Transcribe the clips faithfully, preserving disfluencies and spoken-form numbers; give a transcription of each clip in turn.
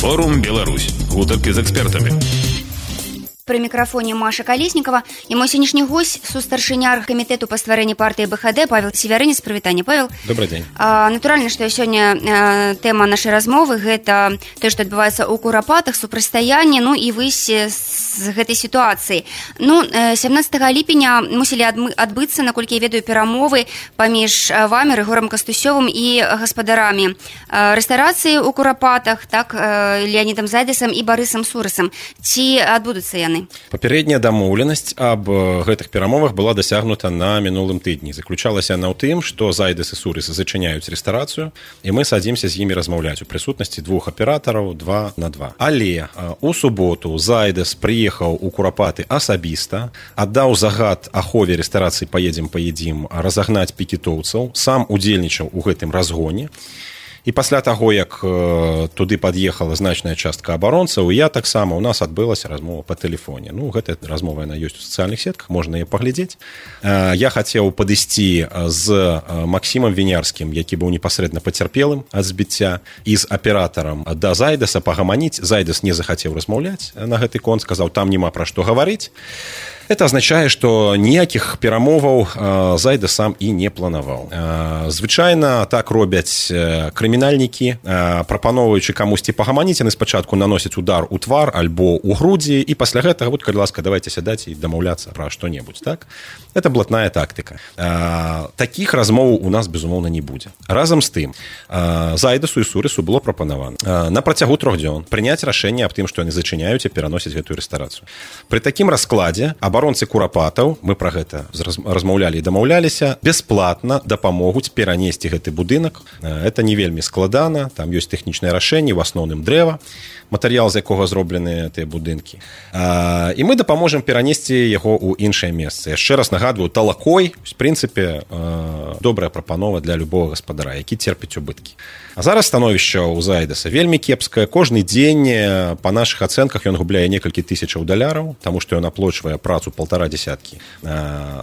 Форум Беларусь. Гутарки з экспертамі. Пры мікрафоне Маша Калеснікова і мой сённяшні госць сустаршыня камітэту па стварэнні партыі БХД Павел Севярынец. Прывітанне, Павел. Добрый дзень. А, натуральна, што сёння а, тэма нашай размовы гэта тое, што адбываецца ў Курапатах, супрацьстаянне, ну і выйсце з гэтай сітуацыі. Ну, сямнаццатага ліпеня мусілі адбыцца, наколькі я ведаю, перамовы паміж вамі, Рыгорам Кастусёвым і гаспадарамі рэстарацыі ў Курапатах, так, Леанідам Зайдэсам і Барысам Сурысам. Ці адбудуцца яны? Папярэдняя дамоўленасць аб гэтых перамовах была дасягнута на мінулым тыдні. Заключалася яна ў тым, што Зайдэс і Сурыс зачыняюць рэстарацыю, і мы садзімся з імі размаўляць у прысутнасці двух аператараў два на два. Але у суботу Зайдэс прыехаў у Курапаты асабіста, аддаў загад ахове рэстарацыі «Паедзем, паедзім» разагнаць пікетоўцаў, сам удзельнічаў у гэтым разгоне. І пасля таго, як э, туды пад'ехала значная частка абаронцаў, я таксама, у нас адбылася размова па тэлефоне. Ну, гэтая размова, яна ёсць у сацыяльных сетках, можна яе паглядзець. Э, я хацеў падысці з Максімам Вінярскім, які быў непасрэдна пацярпелым ад збіцця, і з аператарам да Зайдэса пагаманіць. Зайдэс не захацеў размаўляць на гэты конт, сказаў, там няма пра што гаварыць. Это означае, што ніякіх перамоваў Зайдэс сам і не планаваў. Звычайна так робяць крымінальнікі, прапаноўваючы камусьці пагаманіць, яны спачатку наносяць удар у твар альбо ў грудзі, і пасля гэтага, вот, калі ласка, давайте сядаць і дамаўляцца пра што-небудзь, так? Это блатная тактыка. Такіх размоваў у нас, безумоўна, не будзе. Разам з тым, Зайдэсу і Сурысу было прапанавана на працягу трох дзён прыняць рашэнне аб тым, што яны зачыняюць і пераносяць гэтую рэстарацыю. Пры такім раскладзе абаронцы Курапатаў, мы пра гэта размаўлялі і дамаўляліся, бясплатна дапамогуць перанесці гэты будынак. Это не вельмі складана, там ёсць тэхнічнае рашэнне, у асноўным дрэва, матэрыял, з якога зроблены тыя будынкі. І мы дапаможам перанесці яго ў іншае месца. Яшчэ раз нагадваю, талакой, в прынцыпе, добрая прапанова для любого гаспадара, які терпіць убыткі. А зараз становішча ў Зайдэса вельмі кепскае. Кожны дзень, па нашых ацэнках, ён губляе некалькі тысячаў даляраў, таму што ён аплочвае працу полтора десяткі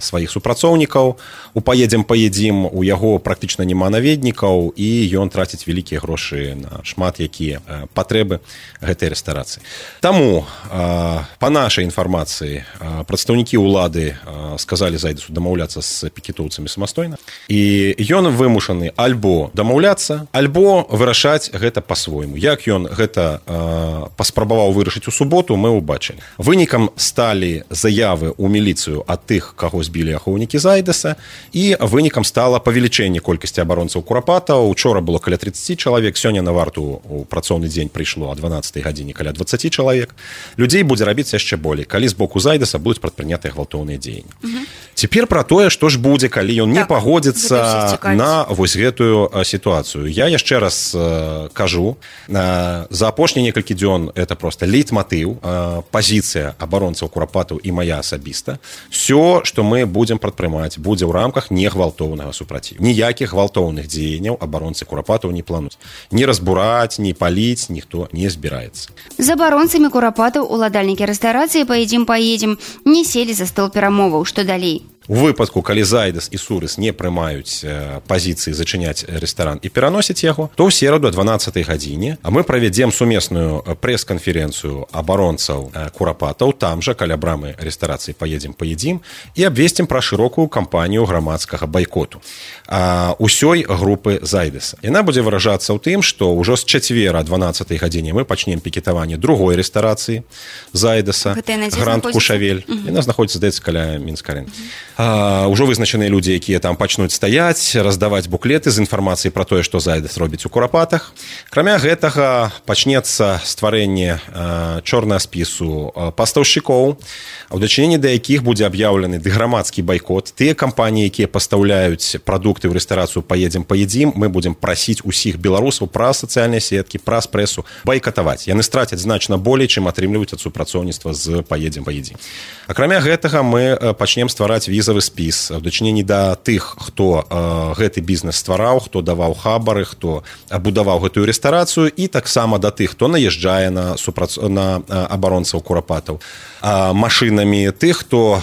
сваіх супрацоўнікаў. У «Паедзем, паедзім» у яго практычна няма наведнікаў, і ён траціць вялікія грошы на шмат якія патрэбы гэтай рэстарацыі. Таму, па нашай інфармацыі, прадстаўнікі ўлады сказалі Зайдэсу дамаўляцца з пікетоўцамі самастойна, і ён вымушаны альбо дамаўляцца, альбо вырашаць гэта па-свойму. Як ён гэта паспрабаваў вырашыць у суботу, мы ўбачылі. Вынікам сталі заявы ў міліцыю ад тых, каго збілі ахоўнікі Зайдэса, і вынікам стала павелічэнне колькасці абаронцаў Курапатаў. Учора было каля тридцать чалавек, сёння на варту у працоўны дзень прыйшло о дванаццатай гадзіне каля двадцать чалавек. Людзей будзе рабіцца яшчэ болей, калі з боку Зайдэса будуць прадпрынятыя гвалтоўныя дзеянні. Угу. Цяпер пра тое, што ж будзе, калі ён так, не пагодзіцца на вось гэтую сітуацыю. Я яшчэ раз э, кажу, э, за апошнія некалькі дзён это проста лейтматыў, э, пазіцыя абаронцаў Курапатаў і мая асабіста. Все, што мы будзем прадпрымаць, будзе ў рамках негвалтоўнага супраціву. Ніякіх гвалтоўных дзеянняў абаронцы Курапатаў не плануюць. Ні разбураць, ні паліць ніхто не збіраецца. З абаронцамі Курапатаў уладальнікі рэстарацыі «Паедзем, паедзем» не селі за стол перамоваў. Што далей? У выпадку, калі Зайдэс і Сурыс не прымаюць пазіцыі зачыняць рэстаран і пераносяць яго, то ў сераду о дванаццатай гадзіне мы правядзем сумесную прэс-канферэнцыю абаронцаў Курапатаў, там жа, каля брамы рэстарацыі «Паедзем, паедзім», і абвесцім пра шырокую кампанію грамадскага байкоту усёй групы Зайдэса. Яна будзе выражацца ў тым, што ўжо з чацвера о дванаццатай гадзіне мы пачнем пікетаванне другой рэстарацыі Зайдэса, Гранд Кушавель. Угу. Яна знаходзіцца, здаецца, каля Мінска-арэны. А, ўжо вызначаныя людзі, якія там пачнуць стаяць, раздаваць буклеты з інфармацыяй пра тое, што Зайдэс робіць у Курапатах. Акрамя гэтага пачнецца стварэнне а, чорнага спісу а, пастаўшчыкоў, у дачыненні да якіх будзе аб'яўлены грамадскі байкот. Тыя кампаніі, якія пастаўляюць прадукты ў рэстарацыю «Паедзем, паедзім», мы будзем прасіць усіх беларусаў праз сацыяльныя сеткі, праз прэсу байкатаваць. Яны страцяць значна болей, чым атрымліваюць ад супрацоўніцтва з «Паедзем, паедзім». Акрамя гэтага мы пачнем ствараць візавы візавы спіс у дачыненні да тых, хто гэты бізнес ствараў, хто даваў хабары, хто будаваў гэтую рэстарацыю, і таксама да тых, хто наязджае на, супрац... на абаронцаў курапатаў машынамі, тых, хто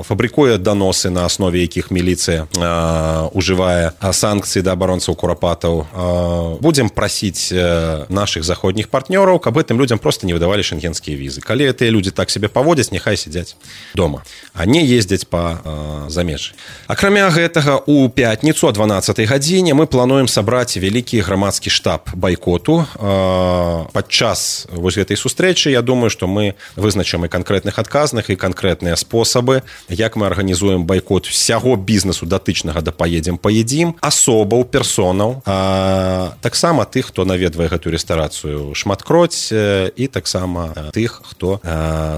фабрыкуе даносы, на аснове якіх міліцыя ужывае санкцыі да абаронцаў курапатаў. Будзем прасіць нашых заходніх партнёраў, каб гэтым людзям проста не выдавалі шенгенскія візы. Калі гэтыя людзі так сябе паводзяць, няхай сядзяць дома, а не ездзяць па замежжы. Акрамя гэтага, у пятніцу о дванаццатай гадзіне мы плануем сабраць вялікі грамадскі штаб байкоту. Падчас вось гэтай сустрэчы, я думаю, што мы вызначым і канкрэтных адказных, і канкрэтныя спосабы, як мы арганізуем байкот усяго бізнесу датычнага да паедзем паедзім, асобаў, персонаў, а таксама тых, хто наведвае гэтую рэстарацыю шматкроць, і таксама тых, хто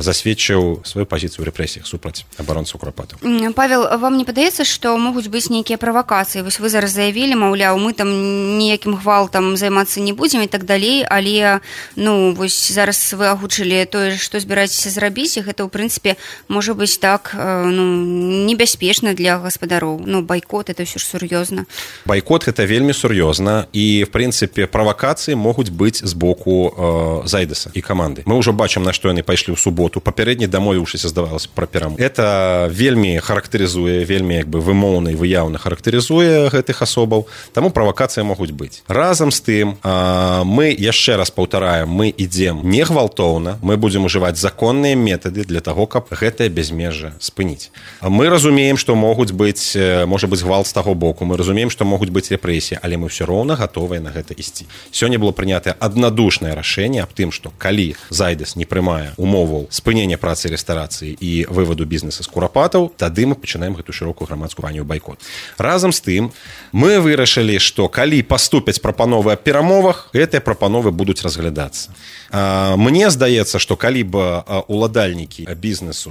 засведчыў сваю пазіцыю ў рэпрэсіях супраць абаронцаў курапатаў. Павел, вам не падаецца, што могуць быць нейкія правакацыі? Вось вы зараз заявілі, маўляў, мы там ніякім гвалтам займацца не будзем і так далей, але ну вось зараз вы агучылі тое, што збіраецеся зрабіць, і гэта ў прынцыпе можа быць так ну небяспечна для гаспадароў. Ну байкот это ўсё ж сур'ёзна. Байкот гэта вельмі сур'ёзна, і в прынцыпе правакацыі могуць быць з боку э, Зайдэса і каманды. Мы ўжо бачым, на што яны пайшлі ў суботу, папярэдне дамовіўшыся, здавалася, пра перамовы. Это вельмі характарызуе, вельмі як бы вымоўна і выяўна характарызуе гэтых асобаў, таму правакацыі могуць быць. Разам з тым, э, мы яшчэ раз паўтараем, мы ідзем не гвалтоўна, мы будзем ужываць законныя метады для таго, каб гэтае бязмежжа спыніць. Мы разумеем, што могуць быць, можа быць гвалт з таго боку, мы разумеем, што могуць быць рэпрэсіі, але мы ўсё роўна гатовыя на гэта ісці. Сёння было прынятае аднадушнае рашэнне аб тым, што калі Зайдэс не прымае умоваў спынення працы рэстарацыі і вываду бізнеса з курапатаў, тады мы пачынаем гэту шырокую грамадскую кампанію байкот. Разам з тым, мы вырашылі, што калі паступяць прапановы аб перамовах, гэтыя прапановы будуць разглядацца. Мне здаецца, што калі б уладальнікі бізнесу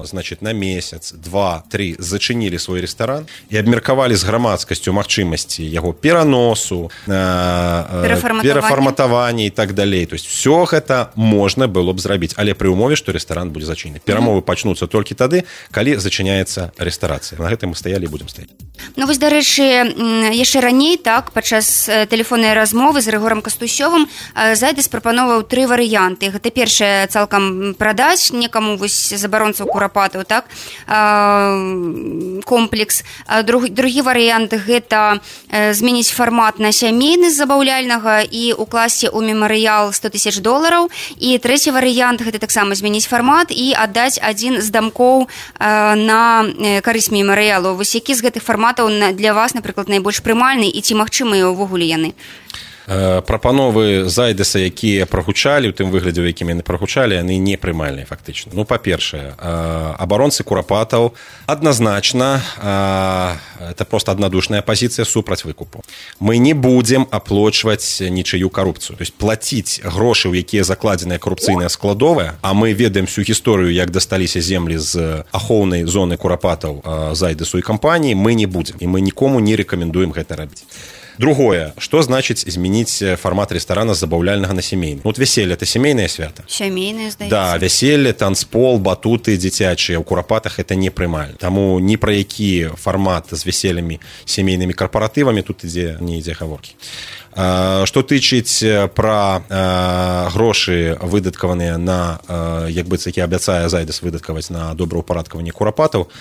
значит, на месяц, два, тры зачынілі свой рэстаран і абмеркавалі з грамадскасцю магчымасці яго пераносу, перафарматавання і так далей. То есть все гэта можна было б зрабіць, але пры умове, што рэстаран будзе зачынены. Перамовы пачнуцца толькі тады, калі зачыняецца рэстарацыя. На гэтым мы стаялі і будзем стаяць. Ну вось, дарэчы, яшчэ раней, так, падчас тэлефоннай размовы з Рыгорам Кастусёвым Зайдэс прапановаў тры варыянты. Гэта першае, цалкам прадаць некаму вось забаронцаў курапатаў, так, комплекс. Друг, другі варыянт гэта змяніць фармат на сямейны з забаўляльнага і укласці ў мемарыял сто тысяч долараў. І трэці варыянт гэта таксама змяніць фармат і аддаць адзін з дамкоў на карысць мемарыялу. Вось які з гэтых фарматаў для вас, напрыклад, найбольш прымальны і ці магчымыя ўвогуле яны? Прапановы Зайдэса, якія прагучалі, у тым выглядзе, у якім яны прагучалі, яны не прымальныя фактычна. Ну, па-першае, абаронцы курапатаў адназначна, это просто аднадушная пазіцыя супраць выкупу. Мы не будзем аплочваць нічыю карупцыю. То есть плаціць грошы, у якія закладзеныя карупцыйныя складовыя, а мы ведаем всю гісторыю, як дасталіся землі з ахоўнай зоны курапатаў Зайдэсу і кампаніі, мы не будзем. І мы нікому не рэкамендуем гэта рабіць. Другое, што значыць змяніць фармат рэстарана з забаўляльнага на сямейны? Вот вяселле – это сямейнае свята. Сямейнае, здаецца. Да, вяселле, танцпол, батуты дзіцячыя ў курапатах – это не прымальна. Таму ні пра які фармат з вяселлямі, сямейнымі карпаратывамі тут ідзе, не ідзе гаворкі. Што тычыць пра грошы, выдаткаваныя на, як быць, які абяцае Зайдэс выдаткаваць на добраўпарадкаванне курапатаў,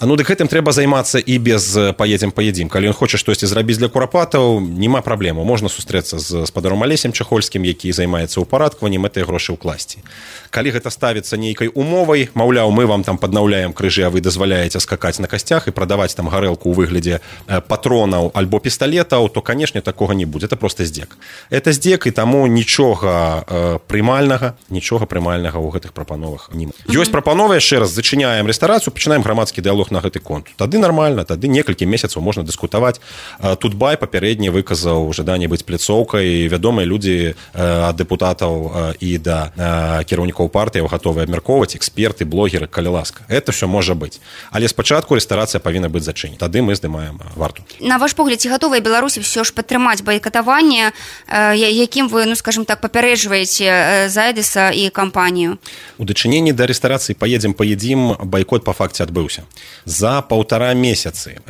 ну, дык гэтым трэба займацца і без паедзем-паедзім. Калі ён хоча штосьці зрабіць для курапатаў, няма праблему. Можна сустрэцца з спадаром Алесем Чахольскім, які займаецца ўпарадкаваннем, гэтыя грошы ўкласці. Калі гэта ставіцца нейкай умовай, маўляў, мы вам там паднаўляем крыжы, а вы дазваляеце скакаць на касцях і прадаваць там гарэлку ў выглядзе патронаў альбо пісталетаў, то, канешне, такога не будзе. Это просто здзек. Это здзек, і таму нічога прымальнага, нічога прымальнага ў гэтых прапановах няма. Ёсць прапановы, яшчэ раз, зачыняем рэстарацыю, пачынаем грамадскі дыялог на гэты конт. Тады нармальна, тады некалькі месяцаў можна дыскутаваць. Тутбай папярэдне выказаў жаданне быць пляцоўкай, вядомыя людзі ад дэпутатаў і да кіраўнікоў партыяў гатовыя абмяркоўваць, эксперты, блогеры, калі ласка. Это ўсё можа быць. Але спачатку рэстарацыя павінна быць зачынена. Тады мы здымаем варту. На ваш погляд, ці гатовыя беларусі ўсё ж падтрымаць байкатаванне, якім вы, ну, скажем так, папярэджваеце Зайдэса і кампанію? У дачыненні да рэстарацыі паедзем-паедзім байкот па факце адбыўся. За паўтара месяцы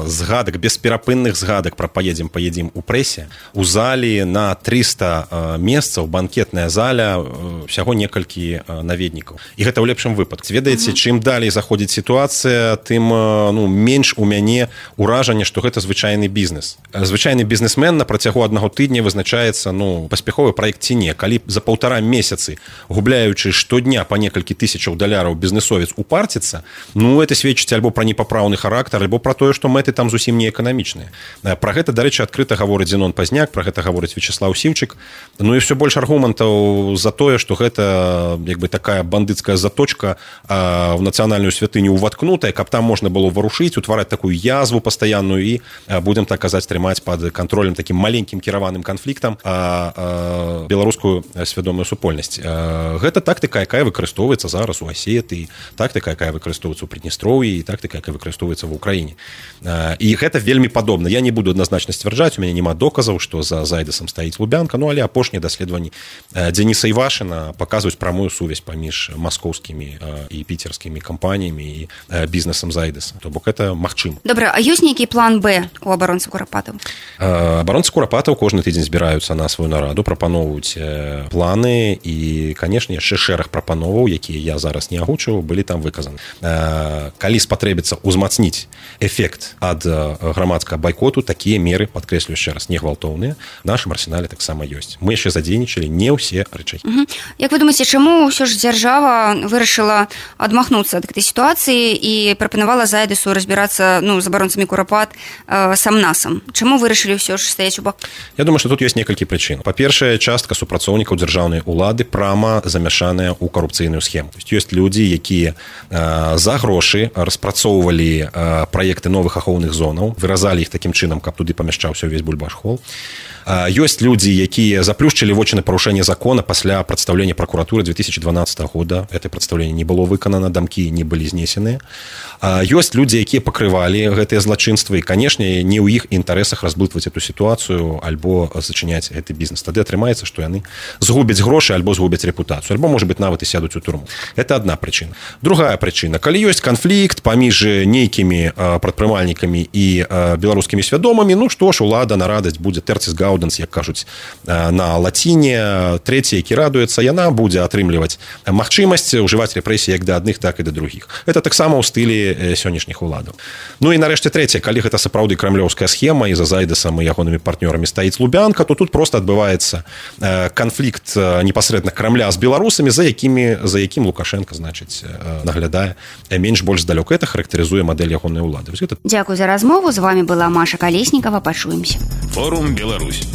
згадак, бесперапынных згадак пра паедзем, паедзем у прэсе, у залі на трыста месцаў, банкетная заля, всяго некалькі наведнікаў. І гэта ў лепшым выпадку. Ведаеце, чым далей заходзіць сітуацыя, тым ну, менш у мяне ўражанне, што гэта звычайны бізнес. Звычайны бізнесмен на працягу аднаго тыдня вызначаецца ну, паспяховы праект ці не. Калі за паўтара месяцы, губляючы штодня па некалькі тысячаў даляраў бізнесовец упарціцца, ну, это сведчыць альбо пра непапраўны характар, альбо пра тое, што мэты там зусім не эканамічныя. Пра гэта, дарэчы, адкрыта гаворыць Зенон Пазняк, пра гэта гаворыць Вячеслав Сіўчык. Ну і ўсё больш аргументаў за тое, што гэта як бы такая бандыцкая заточка а, в нацыянальную святыню уваткнутая, каб там можна было варушыць, утвараць такую язву пастаянную і, а, будем так казаць, трымаць пад кантролем такім маленькім кіраваным канфліктам а, а, беларускую свядомую супольнасць. А, гэта тактыка, якая выкарыстоўваецца зараз у Асетыі, тактыка, якая выкарыстоўваецца ў Прыднестроўі, і тактыка, якая выкарыстоўваецца ва ўкраіне. А, і гэта вельмі падобна. Я не буду адназначна сцвярджаць, у мяне няма доказаў, што за Зайдэсам стаіць Лубянка, ну але апошнія даследаванні Дзеніса Івашына паказваюць прамую сувязь паміж маскоўскімі і піцерскімі кампаніямі і бізнесам Зайдэса. То бок это магчыма. Добра, а ёсць нейкі план Б у абаронцы Курапатаў? Абаронцы Курапатаў кожны тыдзень збіраюцца на сваю нараду, прапаноўваюць планы і, канешне, яшчэ шэраг прапановаў, якія я зараз не агучыў, былі там выказаны. Калі спатрэбіцца ўзмацніць эфект ад грамадскага байкоту, такія меры, падкрэслю яшчэ раз, не гвалтоўныя, в нашым арсенале таксама ёсць. Мы яшчэ задзейнічалі не ўсе рэчы. Угу. Як вы думаеце, чаму ўсё ж дзяржава вырашыла адмахнуцца ад гэтай сітуацыі і прапанавала Зайдэсу разбірацца ну, з абаронцамі Курапат э, сам-насам? Чаму вырашылі ўсё ж стаяць у бок? Я думаю, што тут ёсць некалькі прычын. Па-першае, частка супрацоўнікаў дзяржаўнай улады прама замяшаная ў карупцыйную схему. То есть ёсць людзі, якія э, за грошы распрацоўвалі э, праекты новых ахоўных зонаў, выразалі іх такім чынам, каб туды памяшчаўся ўвесь бульбаш-хол. Ёсць людзі, якія заплюшчылі вочы на парушэнне закона пасля прадстаўлення пракуратуры две тысячи дванадцатого года. Это прадстаўленне не было выканана, дамкі не былі знесеныя. Ёсць людзі, якія пакрывалі гэтыя злачынствы, і, канешне, не ў іх інтарэсах разблытваць эту сітуацыю альбо зачыняць гэты бізнес. Тады атрымаецца, што яны згубяць грошы альбо згубяць рэпутацыю, альбо, можа быць, нават і сядуць у турму. Это адна прычына. Другая прычына. Калі ёсць канфлікт паміж нейкімі прадпрымальнікамі і беларускімі свядомымі, ну што ж, улада на радасць будзе тэрцис гау, як кажуць на лаціне, трэці, які радуецца, яна будзе атрымліваць магчымасць ўжываць рэпрэсіі як да адных, так і да другіх. Это таксама ў стылі сённяшніх уладаў. Ну і нарэшце трэцяе, калі гэта сапраўды крамлёўская схема і за Зайдэсам і ягонымі партнёрамі стаіць Лубянка, то тут проста адбываецца канфлікт непасрэдна Крамля з беларусамі, за якімі за якім Лукашенко, значыць, наглядае менш больш здалёк. Это характарызуе мадэль ягонай улады. Дзякуй за размову. З вами была Маша Калеснікава. Пачуемся. Форум Беларусь.